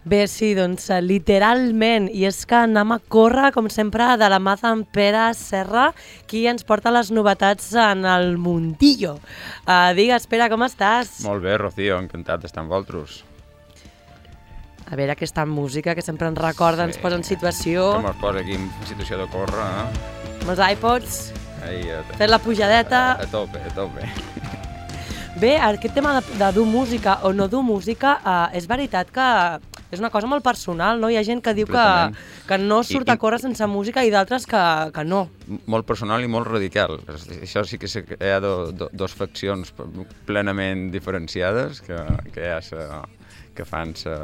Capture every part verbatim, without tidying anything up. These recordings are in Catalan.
Bé, sí, doncs literalment, i és que anem a córrer, com sempre, de la mà d'en Pere Serra, qui ens porta les novetats en el mundillo. Uh, digues, Pere, com estàs? Molt bé, Rocío, encantat d'estar amb vosaltres. A veure, aquesta música que sempre ens recorda, sí, ens posa en situació. Que ens posa aquí en situació de córrer, eh? Amb els iPods, Ai, a, fent la pujadeta. A, a tope, a tope. Bé, aquest tema de, de dur música o no dur música, uh, és veritat que és una cosa molt personal, no? Hi ha gent que diu que, que no surt I, a córrer sense música i d'altres que, que no. Molt personal i molt radical. Això sí que hi ha do, do, dos faccions plenament diferenciades que, que ja se, que fan... Se...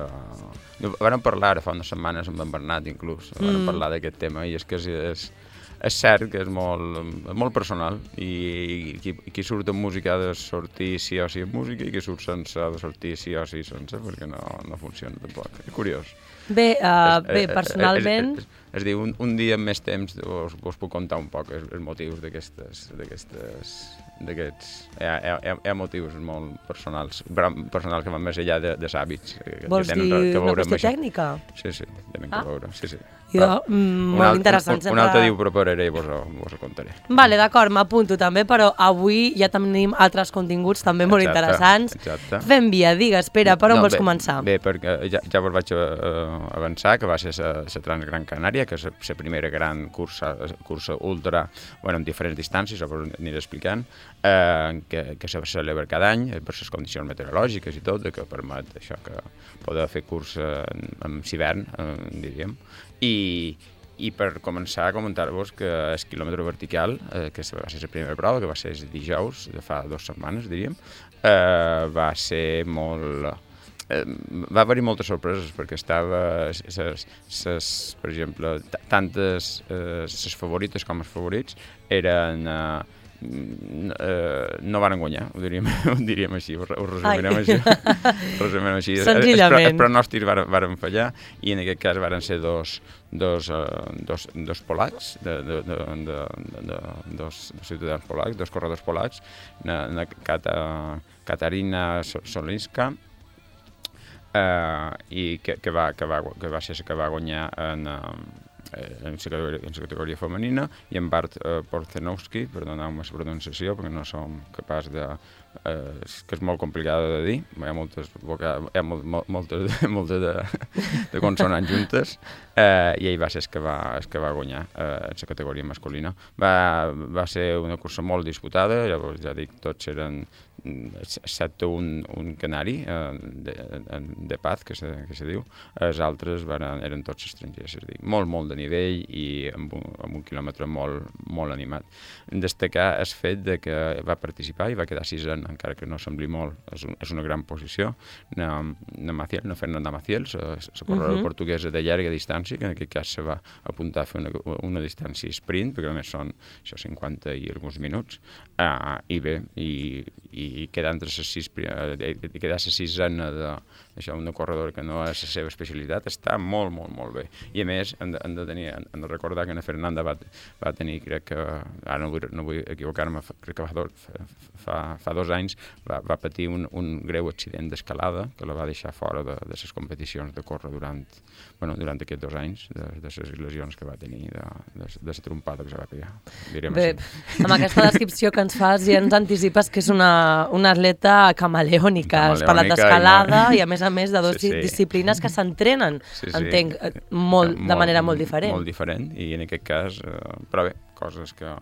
Vàrem parlar ara fa unes setmanes amb en Bernat, inclús. Vàrem mm. parlar d'aquest tema i és que és... és És cert que és molt, molt personal i qui, qui surt amb música ha de sortir sí o sí amb música i qui surt sense ha de sortir sí o sí sense perquè no, no funciona tampoc. És curiós. Bé, uh, bé personalment... És, és, és, és dir, un, un dia amb més temps us, us puc contar un poc els, els motius d'aquestes... d'aquestes d'aquests... Hi ha, hi, ha, hi ha motius molt personals, personals que van més enllà de, dels hàbits. Vols que dir que una qüestió tècnica? Sí, sí, tenen ah. que veure, sí, sí. Jo, mm, molt alt, interessant. Un, un altre dia ho prepararé i vos, vos ho contaré. Vale, d'acord, m'apunto també, però avui ja tenim altres continguts també molt exacte, interessants. Exacte. Fem via, digues, Pere, per on no, vols bé, començar? Bé, perquè ja, ja vos vaig uh, avançar, que va ser la Transgran Canària, que és la primera gran cursa, cursa ultra, bueno, en diferents distàncies, ho aniré explicant, eh, que, que se celebra cada any per les condicions meteorològiques i tot, que permet això, que poder fer cursa en, en hivern, eh, diríem. I, i per començar a comentar-vos que el quilòmetre vertical, eh, que va ser la primera prova, que va ser el dijous, de fa dues setmanes, diríem, eh, va ser molt... Eh, va haver-hi moltes sorpreses, perquè estava, ses, ses, per exemple, tantes les eh, favorites com els favorits eren... Eh, Uh, no van guanyar, ho diríem, ho diríem així, ho, ho resumirem així. resumirem així. Senzillament. Els pronòstics varen, varen fallar i en aquest cas varen ser dos, dos, uh, dos, dos polacs, de, de, de, de, de, de, dos ciutadans polacs, dos corredors polacs, na, na, Kata, Katarina Solinska, uh, i que, que, va, que, va, que va ser que va guanyar en... Uh, en la categoria, en la categoria femenina, i en Bart eh, Porzenowski, perdoneu-me la pronunciació perquè no som capaç de... Eh, que és molt complicada de dir, hi ha moltes, voca, hi ha molt, molt, moltes, moltes de, de consonants juntes, eh, i ell va ser el que va, el que va guanyar eh, en la categoria masculina. Va, va ser una cursa molt disputada, llavors ja dic, tots eren excepte un, un canari eh, de, de Paz, que se, que se diu, els altres van, eren tots estrangers, és a dir, molt, molt de nivell i amb un, amb un quilòmetre molt, molt animat. Destacar el fet de que va participar i va quedar sisena, encara que no sembli molt, és, un, és una gran posició, na, na Maciel, na Fernanda Maciel, la corredora uh-huh. portuguesa de llarga distància, que en aquest cas se va apuntar a fer una, una distància sprint, perquè només són això, cinquanta i alguns minuts, uh, i bé, i, i i quedar entre les sis, quedar la sisena de, això, una corredora que no és la seva especialitat, està molt, molt, molt bé. I a més, hem de, hem de, tenir, hem de recordar que na Fernanda va, va tenir, crec que, ara no vull, no vull equivocar-me, crec que fa, do, fa, fa dos anys va, va patir un, un greu accident d'escalada que la va deixar fora de, de les competicions de córrer durant, bueno, durant aquests dos anys, de, de les lesions que va tenir, de, de, de la trompada que se va pegar, direm bé, així. Amb aquesta descripció que ens fas ja ens anticipes que és una, una atleta camaleònica, has parlat d'escalada i, no... i a més a més de dues sí, sí. disciplines que s'entrenen, sí, sí. entenc, molt, molt, de manera molt diferent. Molt diferent, i en aquest cas, eh, però bé, coses que...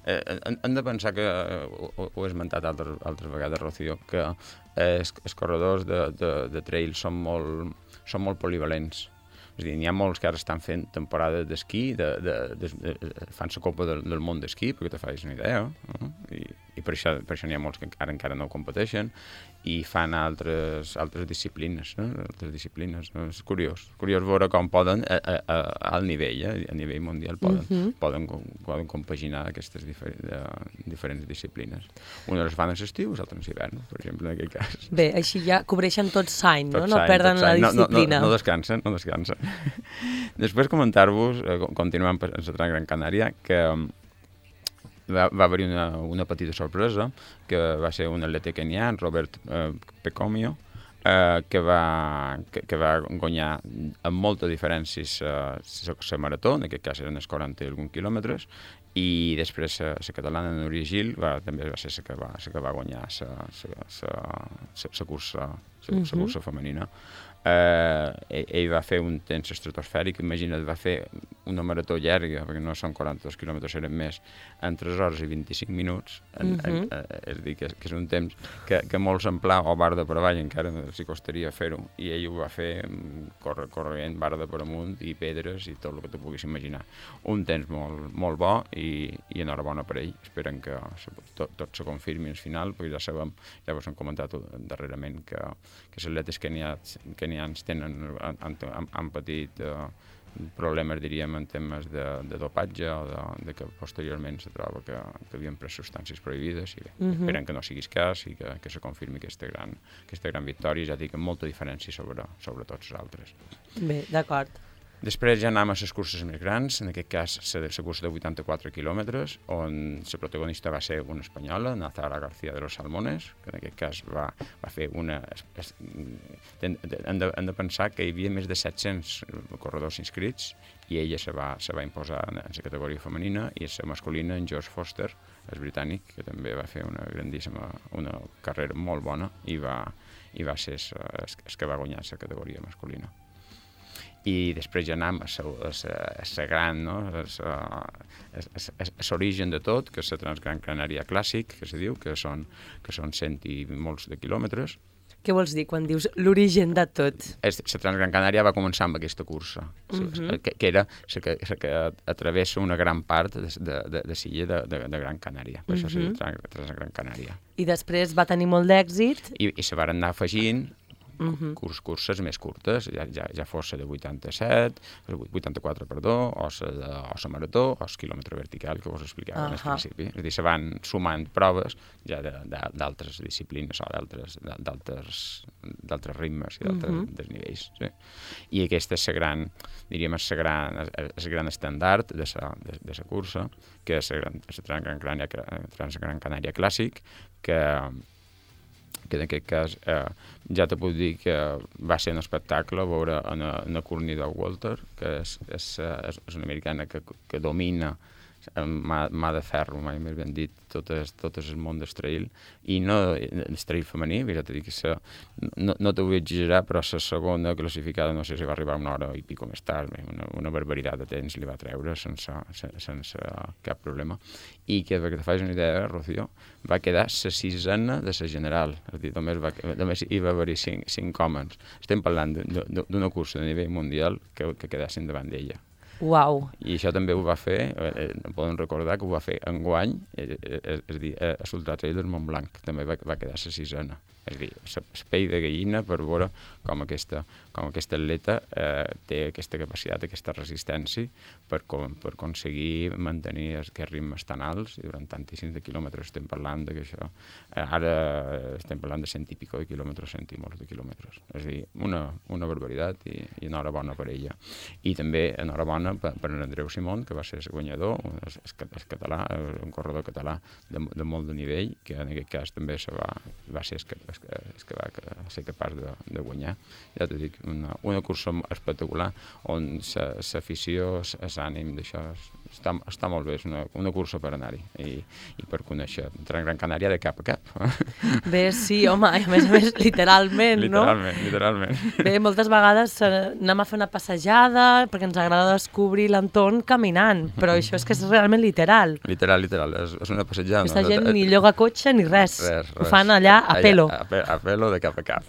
Eh, hem de pensar que, eh, ho, ho he esmentat altres, altres vegades, Rocío, que eh, els, els corredors de, de, de trail són molt, són molt polivalents. És a dir, n'hi ha molts que ara estan fent temporada d'esquí, de, de, de, de, fan la Copa del, del Món d'esquí, perquè te facis una idea, uh-huh. I, i per això, per això n'hi ha molts que encara, encara no competeixen, i fan altres, altres disciplines, eh? altres disciplines. No? És curiós, curiós veure com poden, a, a, a, al nivell, eh? a nivell mundial, poden, uh-huh. poden, poden compaginar aquestes difer de, diferents disciplines. Unes les fan en l'estiu, les altres en l'hivern, per exemple, en aquest cas. Bé, així ja cobreixen tot l'any, no? Tot No perden la disciplina. No, no, no descansen, no descansen. Després comentar-vos, eh, continuant per la Gran Canària, que va, va haver-hi una, una petita sorpresa, que va ser un atleta kenià, Robert eh, Pecomio, eh, que, va, que, que va guanyar amb molta diferència la marató, en aquest cas eren els quaranta i algun quilòmetres, i després la catalana Núria Gil va, també va ser la que va, la que va guanyar la cursa, cursa femenina. Eh, ell, ell va fer un temps estratosfèric, imagina't, va fer una marató llarga, perquè no són quaranta-dos quilòmetres, eren més, en tres hores i vint-i-cinc minuts, en, uh -huh. en, en, és a dir, que, que és un temps que, que molts en pla o bar de per avall encara s'hi costaria fer-ho, i ell ho va fer corre, corrent, bar de per amunt i pedres i tot el que tu puguis imaginar. Un temps molt, molt bo i, i enhorabona per ell. Esperen que tot, tot se confirmi al final, perquè ja sabem, ja vos hem comentat darrerament que, que les atletes kenians, kenians tenen, han, han, han patit uh, problemes, diríem, en temes de, de dopatge o de, de que posteriorment se troba que, que havien pres substàncies prohibides i bé, uh -huh. esperen que no siguis cas i que, que se confirmi aquesta gran, aquesta gran victòria, ja dic, amb molta diferència sobre, sobre tots els altres. Bé, d'acord. Després ja anem a les curses més grans, en aquest cas la cursa de vuitanta-quatre quilòmetres, on la protagonista va ser una espanyola, Nazara García de los Salmones, que en aquest cas va, va fer una... Hem de, hem de pensar que hi havia més de set-cents corredors inscrits i ella se va, se va imposar en la categoria femenina, i la masculina, en George Foster, el britànic, que també va fer una grandíssima, una carrera molt bona i va, i va ser el que va guanyar la categoria masculina. I després ja anem a la gran, no? L'origen de tot, que és la Transgran Canària Clàssic, que se diu, que són, que són cent i molts de quilòmetres. Què vols dir quan dius l'origen de tot? La Transgran Canària va començar amb aquesta cursa, uh -huh. que, que era la que, que atravessa una gran part de, de, de, de l'illa de, de, de Gran Canària, per uh -huh. això se diu Transgran Canària. I després va tenir molt d'èxit. I, i se van anar afegint Uh -huh. curs, curses més curtes, ja, ja, ja fos la de vuitanta-set, vuitanta-quatre, perdó, o la de o la marató, o el quilòmetre vertical, que vos explicava uh -huh. al principi. És a dir, se van sumant proves ja d'altres disciplines o d'altres ritmes i d'altres uh -huh. desnivells. Sí? I aquesta és la gran, diríem, és la gran, el gran estàndard de la de, de la cursa, que és la Transgran Canària, Transgran Canària Clàssic, que que en aquest cas eh, ja te puc dir que va ser un espectacle veure a Courtney Dauwalter, que és, és, és una americana que, que domina amb mà, mà de ferro, mai més ben dit, tot, és, tot és el món del trail, i no el trail femení, ja t'he dit que sa, no, no t'ho vull exagerar, però la segona classificada no sé si va arribar una hora i pico més tard, una, una barbaritat de temps li va treure sense, sense, sense cap problema, i que perquè te facis una idea, Rocío, va quedar la sisena de la general, és a dir, només, va, només hi va haver cinc, cinc homes. Estem parlant d'una cursa de nivell mundial que, que quedassin davant d'ella. Uau. I això també ho va fer, eh, podem recordar que ho va fer enguany, eh, eh, és a dir, a l'Ultra Trail del Montblanc, també va, va quedar la sisena. És a dir, l'espei de gallina per veure com aquesta, com aquesta atleta eh, té aquesta capacitat, aquesta resistència per, com, per aconseguir mantenir aquests ritmes tan alts, i durant tantíssims de quilòmetres estem parlant de que això, eh, ara estem parlant de cent i pico de quilòmetres, cent i molts de quilòmetres. És a dir, una, una barbaritat, i, i enhorabona per ella. I també enhorabona per, per Andreu Simón, que va ser el guanyador, el, el català, un corredor català de, de molt de nivell, que en aquest cas també se va, va ser el que, el que, el que va ser capaç de, de guanyar. Ja t'ho dic, una, una cursa espectacular, on l'afició, l'ànim d'això està, està molt bé, és una, una cursa per anar-hi i, i per conèixer Gran Canària de cap a cap. Bé, sí, home, a més a més, literalment, no? Literalment, literalment. Bé, moltes vegades anem a fer una passejada perquè ens agrada descobrir l'entorn caminant, però això és que és realment literal. Literal, literal, és, és una passejada. Aquesta gent ni lloga cotxe ni res, res, res. Ho fan allà a pelo. A, a, a pelo de cap a cap.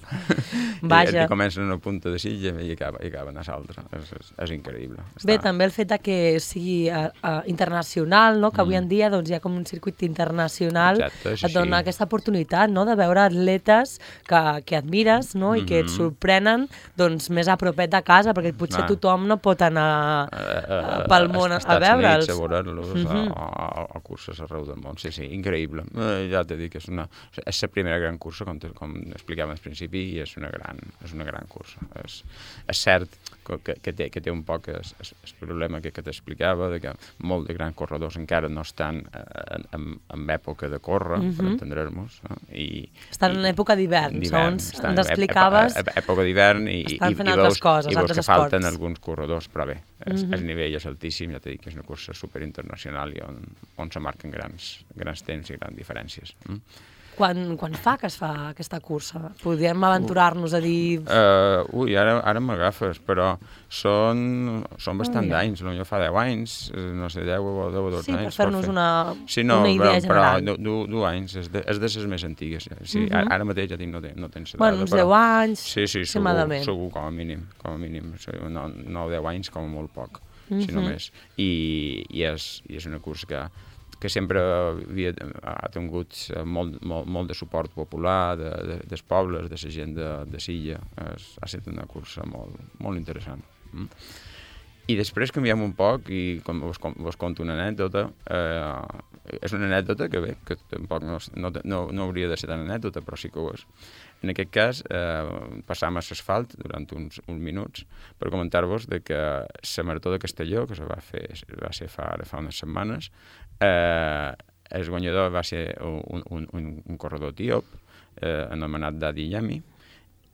Vaja. I, i comencen en una punta de silla i acaba, i acaben a l'altra. És, és, és increïble. Bé, Està... també el fet que sigui uh, uh, internacional, no? Que avui en dia doncs, hi ha com un circuit internacional. Exacte, sí, et dona sí. aquesta oportunitat, no?, de veure atletes que, que admires, no?, i mm-hmm. que et sorprenen doncs, més a propet de casa, perquè potser ah. tothom no pot anar uh, pel món a, a veure'ls. A veure-los mm-hmm. a, a, a curses arreu del món. Sí, sí, increïble. Eh, ja t'he dit que és una... És la primera gran cursa, com, com explicàvem al principi, i és una gran, és una gran cursa. És, és cert que, que, té, que té un poc el, el problema que, que t'explicava, de que molts de grans corredors encara no estan en, en, en època de córrer, uh -huh. per entendre-nos. No? I, estan i, en època d'hivern, segons ens explicaves. En època d'hivern i, i, i, i veus, coses, i veus que esports. falten alguns corredors, però bé, el, uh -huh. el nivell és altíssim, ja t'he dit que és una cursa superinternacional i on, on se marquen grans, grans temps i grans diferències. Mm? Quan, quan fa que es fa aquesta cursa? Podríem aventurar-nos a dir... Uh, ui, ara, ara m'agafes, però són, són bastant oh, ja. d'anys, potser fa deu anys, no sé, deu o dotze anys. Sí, per fer-nos una, sí, no, una idea però, general. Però du, du anys, és de, és de les més antigues. Sí, uh -huh. Ara mateix ja tinc, no, ten, no tens bueno, uns deu anys, sí, sí, segur, segur, com a mínim, com a mínim, no, nou o deu anys com a molt poc, uh -huh. si no més. I, i, és, i és una cursa que que sempre havia, ha tingut molt, molt, molt de suport popular de, de, dels pobles, de la gent de, de Silla. Es, ha estat una cursa molt, molt interessant. Mm? I després canviem un poc i com vos, vos conto una anècdota. Eh, és una anècdota que bé, que tampoc no, no, no, no hauria de ser tan anècdota, però sí que ho és. En aquest cas, eh, passàvem a l'asfalt durant uns, uns minuts per comentar-vos de que la Marató de Castelló, que se va fer, va ser fa, ara fa unes setmanes, eh, el guanyador va ser un, un, un, un corredor etíop eh, anomenat Dadi Yami,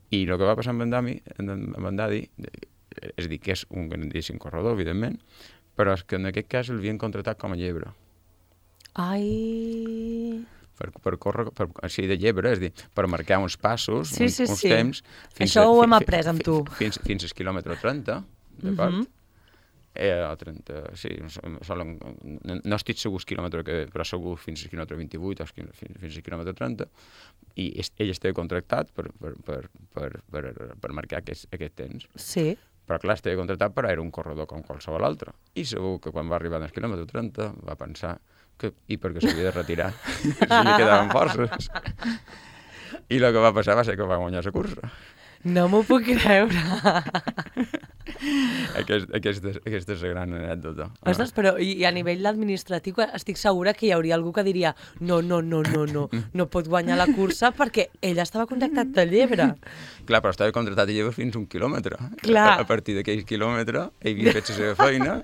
i el que va passar amb en, Dami, amb en Dadi, és a dir, que és un grandíssim corredor, evidentment, però és que en aquest cas l'havien contractat com a llebre. Ai... Per, per córrer, per, així de llebre, és a dir, per marcar uns passos, sí, uns, sí, uns sí. temps... Fins Això a, ho hem après amb tu. Fins, fins al quilòmetre trenta, d'acord? Uh -huh. eh, trenta, sí, solen, no, no estic segur el quilòmetre que però segur fins al quilòmetre vint-i-vuit o fins, fins al quilòmetre trenta, i es, ell estava contractat per, per, per, per, per, per marcar aquest, aquest temps. Sí. Però clar, estava contractat, però era un corredor com qualsevol altre. I segur que quan va arribar al quilòmetre trenta va pensar que, i perquè s'havia de retirar, si li quedaven forces. I el que va passar va ser que va guanyar la cursa. No m'ho puc creure. Aquest, aquesta, aquesta és la gran anècdota. Ostres, però i, i a nivell administratiu estic segura que hi hauria algú que diria no, no, no, no, no, no pot guanyar la cursa perquè ell estava contractat de llebre. Clar, però estava contractat de llebre fins un quilòmetre. Clar. A, a partir d'aquell quilòmetre ell havia fet la seva feina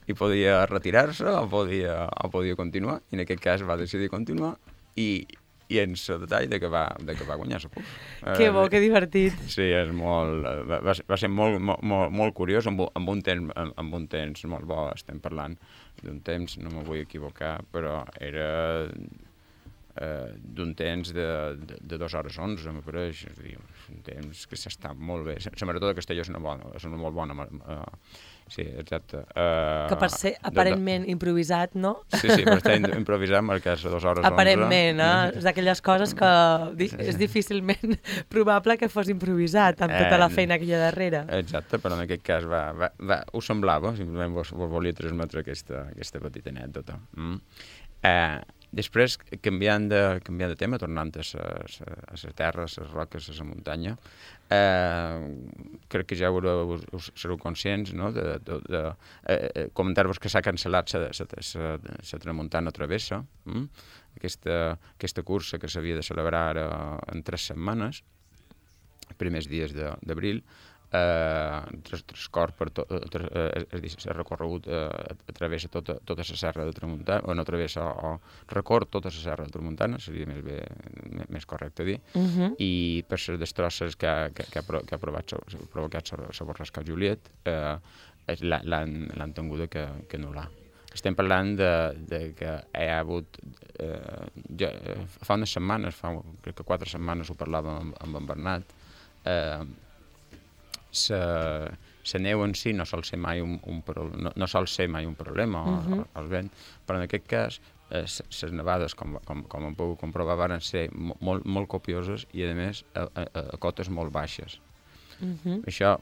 i podia retirar-se o podia, o podia continuar, i en aquest cas va decidir continuar i i en el detall de que va, de que va guanyar la cursa. Que bo, que divertit. Sí, és molt, va, va ser molt, molt, molt curiós, amb, amb, un temps, amb un temps molt bo. Estem parlant d'un temps, no me vull equivocar, però era eh, d'un temps de, de, de dues hores onze, me pareix. És a dir, un temps que s'està molt bé. La Marató de Castelló és una, bona, és una molt bona... Uh, sí, exacte. Uh, que per ser aparentment de, de... improvisat, no? Sí, sí, per estar improvisat marcar a dues hores onze. Aparentment, eh? És d'aquelles coses que di és difícilment probable que fos improvisat amb tota la feina que hi ha darrere. Exacte, però en aquest cas va, va, va, ho semblava, simplement vos, vos volia transmetre aquesta, aquesta petita anècdota. Mm. Eh, Després, canviant de, canviant de tema, tornant a les terres, a les roques, a la muntanya, eh, crec que ja us, us sereu conscients, no?, de, de, de eh, comentar-vos que s'ha cancel·lat la Tramuntana Travessa, mm? aquesta, aquesta cursa que s'havia de celebrar ara en tres setmanes, els primers dies d'abril, eh, transcorre per tot, eh, és dir, s'ha recorregut, eh, travessa tota, tota la serra de Tramuntana, o no travessa, o recorre tota la serra de Tramuntana, seria més, bé, més correcte dir, uh -huh. i per les destrosses que ha, que, que ha, que ha provat, provocat la borrasca Juliet, eh, l'han tingut que, que anul·lar. Estem parlant de, de que hi ha hagut, eh, ja, fa unes setmanes, fa crec que quatre setmanes ho parlàvem amb, amb en Bernat, eh, la neu en si no sol ser mai un, un, no, no sol ser mai un problema, uh -huh. el vent, però en aquest cas les eh, nevades, com, com, com hem pogut comprovar, van ser molt, molt copioses i, a més, a, a, a cotes molt baixes. Uh -huh. Això,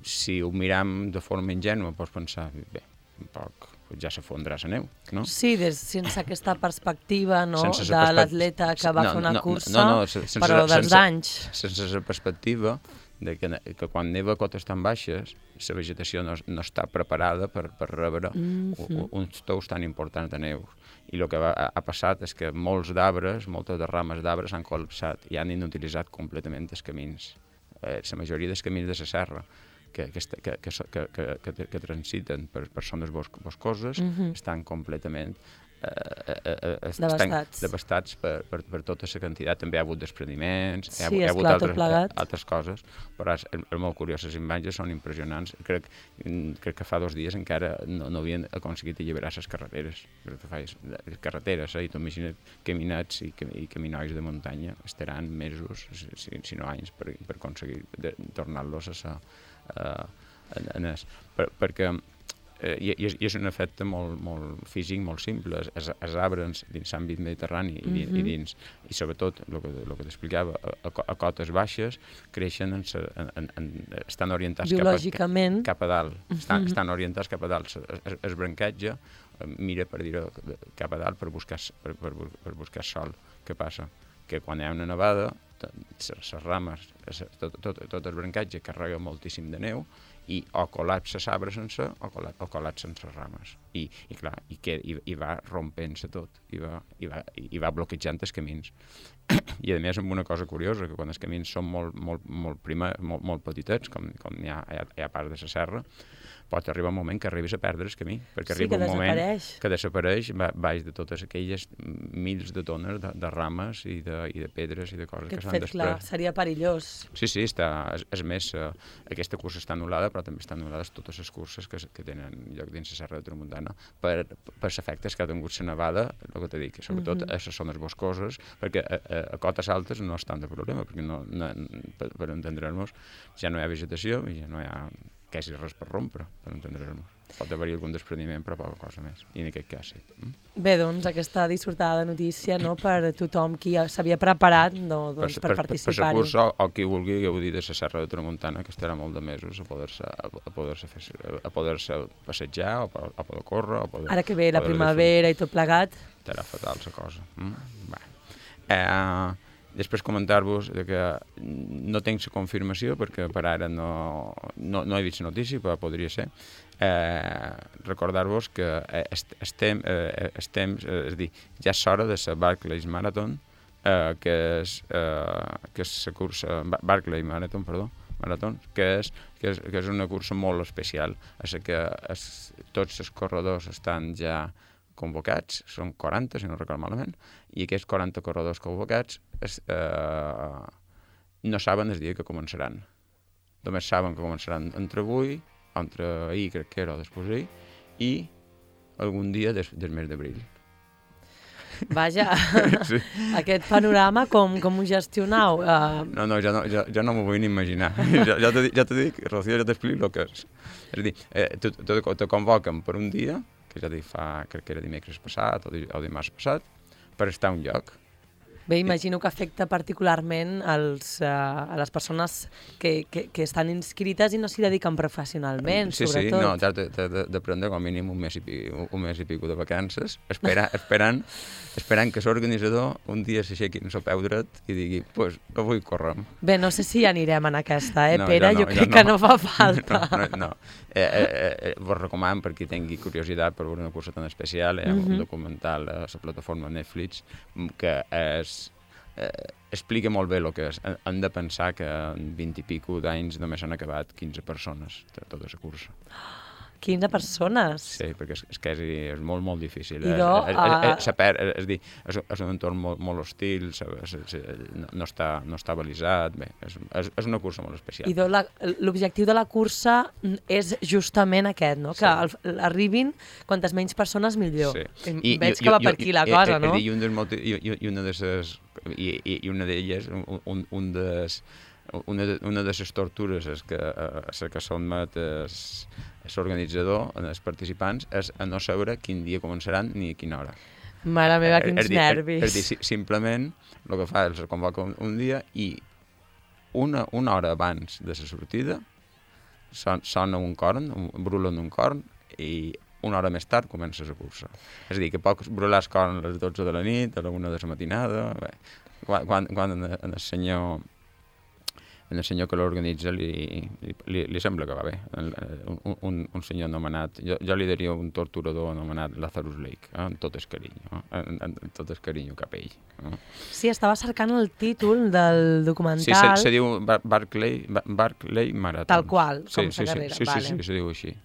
si ho miram de forma ingènua, pots pensar, bé, un poc ja s'afondrà la neu, no? Sí, des, sense aquesta perspectiva, no?, de l'atleta que va no, fer una no, cursa, no, no, sense, però dels sense, anys. Sense la perspectiva de que, que quan neva a cotes tan baixes, la vegetació no, no està preparada per, per rebre mm-hmm. uns tous tan importants de neu. I el que va, ha passat és que molts d'arbres, moltes de rames d'arbres han col·lapsat i han inutilitzat completament els camins, eh, la majoria dels camins de la serra. que, que, que, que, que, que, que, que transiten per, per zones boscoses uh-huh. estan completament eh, eh, eh, devastats, devastats per, per, per tota la quantitat. També hi ha hagut despreniments, sí, hi ha, hi ha hagut esclar, altres, altres coses, però és, és molt curiós, les imatges són impressionants. Crec, crec que fa dos dies encara no, no havien aconseguit alliberar les carreteres. Crec que fais, les carreteres, eh? I tu imagina't caminats i, i caminois de muntanya estaran mesos, si, si no anys, per, per aconseguir tornar-los a ser uh, en, en es, per, perquè eh, i, i, és, i és un efecte molt, molt físic, molt simple. Els, els arbres dins l'àmbit mediterrani i, mm-hmm. i dins, i sobretot el que, el que t'explicava, a, a cotes baixes creixen, en, en, en, en, estan orientats biològicament cap a, cap a dalt, estan, mm-hmm. estan orientats cap a dalt. Es, es branquetge mira per dir cap a dalt per buscar, per, per, per buscar sol. Què passa? Que quan hi ha una nevada, les rames, tot, tot, tot el brancatge carrega moltíssim de neu i o col·lapsa l'arbre sense o, col·la, o col·lapsen les rames. I, i clar, i, que, i, i va rompent-se tot, i va, i, va, i va bloquejant els camins. I a més amb una cosa curiosa, que quan els camins són molt, molt, molt, prima, molt, molt petitets, com, com hi ha, hi ha, hi ha part de la serra, pot arribar un moment que arribis a perdre el camí, perquè sí, arriba un moment que desapareix baix de totes aquelles mils de tones de, de rames i de, i de pedres i de coses Aquest que s'han fet, després. clar, seria perillós. Sí, sí, està, és, és més, uh, aquesta cursa està anul·lada, però també estan anul·lades totes les curses que, que tenen lloc dins la Serra de Tramuntana per, per els efectes que ha tingut la nevada, el que t'he dit, sobretot mm-hmm. a les zones boscoses, perquè a, a, a cotes altes no és tant de problema, perquè no, no, per, per entendre'ns ja no hi ha vegetació i ja no hi ha quasi res per rompre, per entendre'ns. Pot haver-hi algun despreniment, però poca cosa més. I en aquest cas sí. Mm? Bé, doncs, aquesta dissortada notícia, no?, per tothom qui s'havia preparat no, doncs, per, per, per participar-hi. Per la cursa, o, o qui vulgui gaudir de la Serra de Tramuntana, que estarà molt de mesos a poder-se a poder-se fer, a poder-se passejar, o a poder córrer, o poder... Ara que ve la primavera i tot plegat. Estarà fatal la cosa. Mm? Bé. Eh... Després comentar-vos que no tinc la confirmació perquè per ara no, no, no he vist la notícia, però podria ser. Eh, recordar-vos que estem, eh, estem eh, és dir, ja és hora de la Barclays Marathon, eh, que és eh, que és la cursa Barclays Marathon, perdó, Marathon, que és, que és, que és una cursa molt especial. És que es, tots els corredors estan ja convocats, són quaranta, si no recordo malament, i aquests quaranta corredors convocats es, eh, no saben el dia que començaran. Només saben que començaran entre avui, entre ahir, crec que era, o després d'ahir, i algun dia des, del mes d'abril. Vaja, sí. Aquest panorama com, com ho gestionau? Uh... No, no, ja no, ja, ja no m'ho vull ni imaginar. ja, ja, te, ja te dic, Rocío, ja t'explico el que és. És a dir, eh, te, te, te convoquen per un dia, que ja dic fa, crec que era dimecres passat o, di, o dimarts passat, per estar a un lloc. Bé, imagino que afecta particularment als, uh, a les persones que, que, que estan inscrites i no s'hi dediquen professionalment, sí, sobretot. Sí, sí, no, t'has de prendre com a mínim un mes i pico, un mes i pico de vacances, espera, esperant, esperant que l'organitzador un dia s'aixequi en el peu dret i digui, pues, avui correm. Bé, no sé si anirem en aquesta, eh, no, Pere? No, jo crec no. que no fa falta. No, no, no. Eh, eh, eh, vos recomano, per qui tingui curiositat per veure una cursa tan especial, hi ha mm-hmm. un documental a la plataforma Netflix que és Eh, explica molt bé el que és. Hem de pensar que en vint i pico d'anys només han acabat quinze persones de tota la cursa. quinze persones? Sí, perquè és, és que és, és molt, molt difícil. I do, és, és, és, és, és, és, dir, és, és un entorn molt, molt hostil, és, és, no, no, està, no està balisat, bé, és, és, és una cursa molt especial. I l'objectiu de la cursa és justament aquest, no? Que sí. Arribin quantes menys persones millor. Sí. I, Veig i, que va i, per aquí la i, cosa, i, no? I, i, un i, i una de les i, i, i una d'elles, un, un, un des, una, de, una de les tortures és que, a que sotmet l'organitzador, els participants, és a no saber quin dia començaran ni a quina hora. Mare meva, quins és, és nervis. És, és dir, simplement el que fa és convoca un, un dia i una, una hora abans de la sortida son, sona un corn, un, brulen un corn i una hora més tard comença la cursa. És a dir, que pots brular el corn a les dotze de la nit, a la una de la matinada... Bé, quan, quan, quan el senyor el senyor que l'organitza li, li, li sembla que va bé. Un, un, un senyor anomenat, jo, jo li diria un torturador anomenat Lazarus Lake, eh? amb tot el carinyo, eh? amb, amb tot el carinyo cap a ell. Eh? Sí, estava cercant el títol del documental. Sí, se, se diu Bar Barclay, Barclay Marathon. Tal qual, com sí, sa sí, carrera. Sí, sí, vale. sí, sí, se diu així.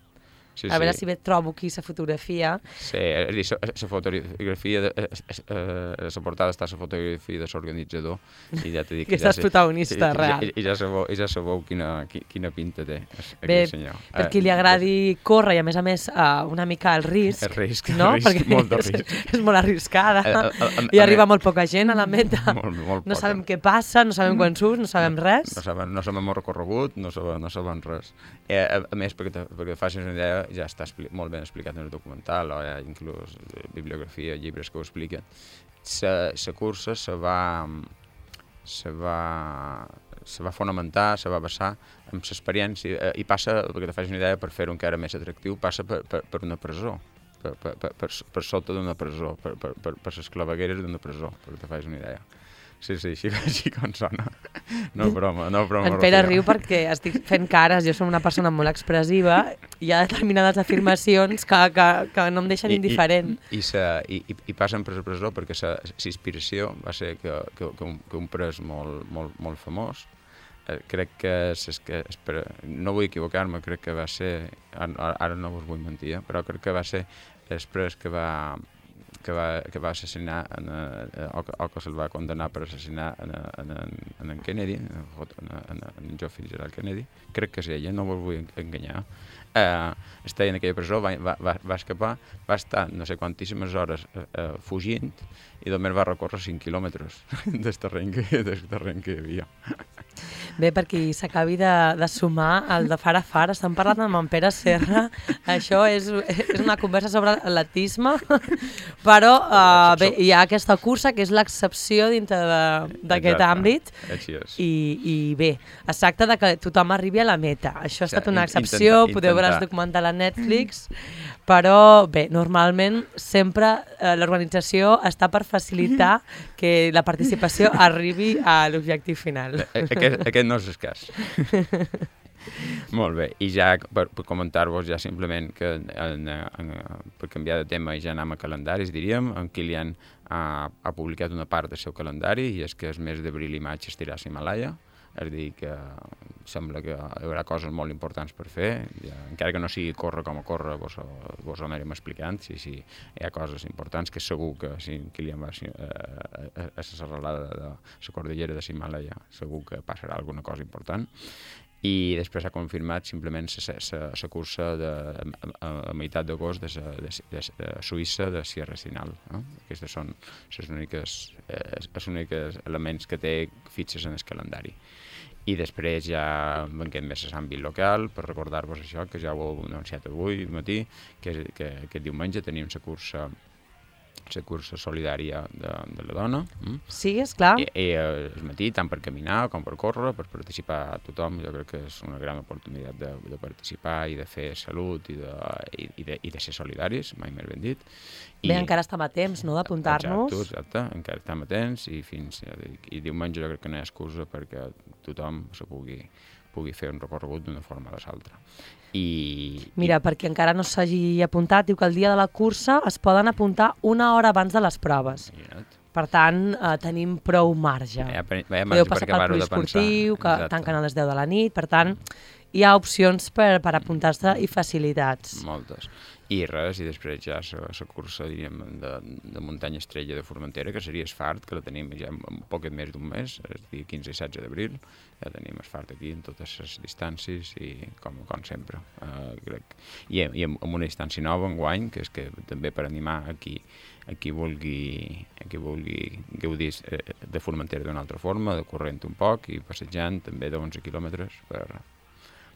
Sí, a veure sí. si bé trobo aquí la fotografia. Sí, és a dir, la fotografia, de, eh, la portada està la fotografia de l'organitzador i ja t'he dit que estàs ja protagonista, i, real. I, i, ja sabeu, i ja sabeu quina, quina pinta té bé, aquest senyor. Per qui li agradi córrer i a més a més uh, una mica el risc, el risc, no? el risc Perquè molt de risc. És, és molt arriscada a, a, a, i arriba molt poca gent a la meta. Molt, molt no poca. sabem què passa, no sabem quan surt, no sabem res. No sabem, no sabem el recorregut, no sabem, no sabem res. Eh, a, a més, perquè, perquè facis una idea, ja està molt ben explicat en el documental, o hi ha inclús bibliografia, llibres que ho expliquen. La cursa se va, se va, se va fonamentar, se va basar en l'experiència i passa, perquè te facis una idea, per fer-ho encara més atractiu, passa per, per, per una presó, per, per, per, per, per sota d'una presó, per, per, per, per les clavegueres d'una presó, perquè te facis una idea. Sí, sí, així, així com sona. No broma, no broma. En Pere riu perquè estic fent cares, jo som una persona molt expressiva i hi ha determinades afirmacions que, que, que no em deixen I, indiferent. I, i, sa, i, i passen per la presó perquè la inspiració va ser que, que, que, un, que un pres molt, molt, molt famós, eh, crec que, és que espera, no vull equivocar-me, crec que va ser, ara, ara no us vull mentir, eh, però crec que va ser el pres que va... que va, que va assassinar en, eh, o, que, o que se'l va condenar per assassinar en, en, en, en Kennedy, en, en, en John Fitzgerald Kennedy, crec que és ella, no us vull enganyar. Eh, estava en aquella presó, va, va, va escapar, va estar no sé quantíssimes hores eh, fugint i només va recórrer cinc quilòmetres del terreny que, del terreny que hi havia. Bé, per qui s'acabi de, de sumar el de far a far, estem parlant amb en Pere Serra, això és, és una conversa sobre l'atletisme, però uh, bé, hi ha aquesta cursa que és l'excepció dintre d'aquest àmbit i, i bé, es tracta de que tothom arribi a la meta, això ha estat una excepció, intenta, podeu veure el documental a Netflix, però bé, normalment sempre eh, l'organització està per facilitar que la participació arribi a l'objectiu final. Aquest, aquest no és el cas. Molt bé, i ja per, per comentar-vos ja simplement que en, en, per canviar de tema i ja anem a calendaris, diríem, en Kilian ha, ha publicat una part del seu calendari i és que el mes d'abril i maig estirà a l'Himalaya, és a dir, que sembla que hi haurà coses molt importants per fer, ja, encara que no sigui córrer com a córrer, vos, vos ho anirem explicant, si, si hi ha coses importants, que segur que si Kilian va a, a, a la serralada de la cordillera de l'Himalaya, segur que passarà alguna cosa important. I després s'ha confirmat simplement la cursa de, a, a meitat d'agost de, de, de, de Suïssa de Sierra Sinal. No? Aquests són els únics, eh, els únics elements que té fixes en el calendari. I després ja venguem més a l'àmbit local, per recordar-vos això, que ja ho heu anunciat avui matí, que, que aquest diumenge tenim la cursa la cursa solidària de, de la dona. Mm? Sí, esclar. I, i el matí, tant per caminar com per córrer, per participar a tothom, jo crec que és una gran oportunitat de, de participar i de fer salut i de, i, i de, i de ser solidaris, mai més ben dit. Bé, I, encara estem a temps, no?, d'apuntar-nos. Exacte, exacte, encara estem a temps i fins i diumenge jo crec que no hi ha excusa perquè tothom se pugui, pugui fer un recorregut d'una forma o de l'altra. I, Mira, i... perquè encara no s'hagi apuntat, diu que el dia de la cursa es poden apuntar una hora abans de les proves. Imagina't. Per tant, eh, tenim prou marge. Ja, ja, ja podeu passar pel poliesportiu, que tanquen a les deu de la nit, per tant, hi ha opcions per, per apuntar-se i facilitats. Moltes. I res, i després ja la cursa, diríem, de, de muntanya estrella de Formentera, que seria Esfart, que la tenim ja en poc més d'un mes, el dia quinze i setze d'abril, ja tenim Esfart aquí en totes les distàncies i com, com sempre, uh, crec. I, i amb una distància nova enguany, que és que també per animar a qui, a qui vulgui, a qui vulgui gaudir de Formentera d'una altra forma, de corrent un poc i passejant també d'onze quilòmetres per,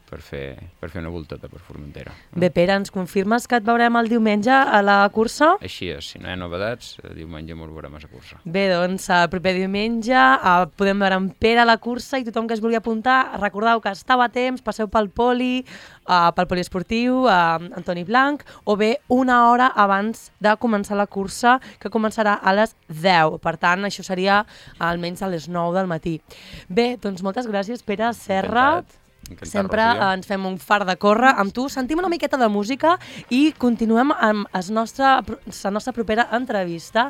per fer, per fer una volteta per Formentera. Bé, Pere, ens confirmes que et veurem el diumenge a la cursa? Així és, si no hi ha novedats, diumenge ens veurem a la cursa. Bé, doncs, el proper diumenge uh, podem veure en Pere a la cursa i tothom que es vulgui apuntar, recordeu que estava a temps, passeu pel poli, uh, pel poliesportiu, uh, Antoni Blanc, o bé una hora abans de començar la cursa, que començarà a les deu. Per tant, això seria almenys a les nou del matí. Bé, doncs moltes gràcies, Pere Serra. Encantat. Encantat, Sempre Rocío. ens fem un far de córrer amb tu, sentim una miqueta de música i continuem amb la nostra, la nostra propera entrevista